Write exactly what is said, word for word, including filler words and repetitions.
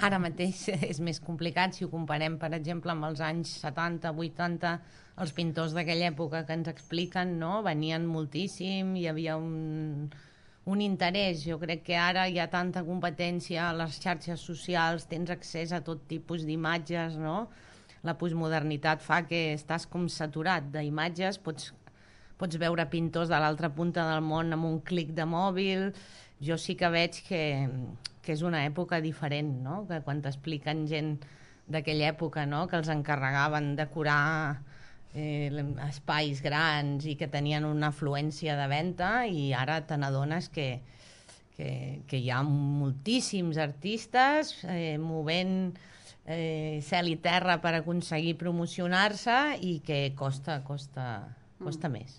Ara mateix és més complicat si ho comparem, per exemple, amb els anys setanta, vuitanta, els pintors d'aquella època que ens expliquen, no? Venien moltíssim, hi havia un, un interès. Jo crec que ara hi ha tanta competència a les xarxes socials, tens accés a tot tipus d'imatges, no? La postmodernitat fa que estàs com saturat d'imatges, pots, pots veure pintors de l'altra punta del món amb un clic de mòbil. Jo sí que veig que, que és una època diferent, no? Que quan t'expliquen gent d'aquella època, no? Que els encarregaven decorar eh, espais grans i que tenien una afluència de venda, i ara te n'adones que, que, que hi ha moltíssims artistes eh, movent eh, cel i terra per aconseguir promocionar-se, i que costa, costa, costa mm. més.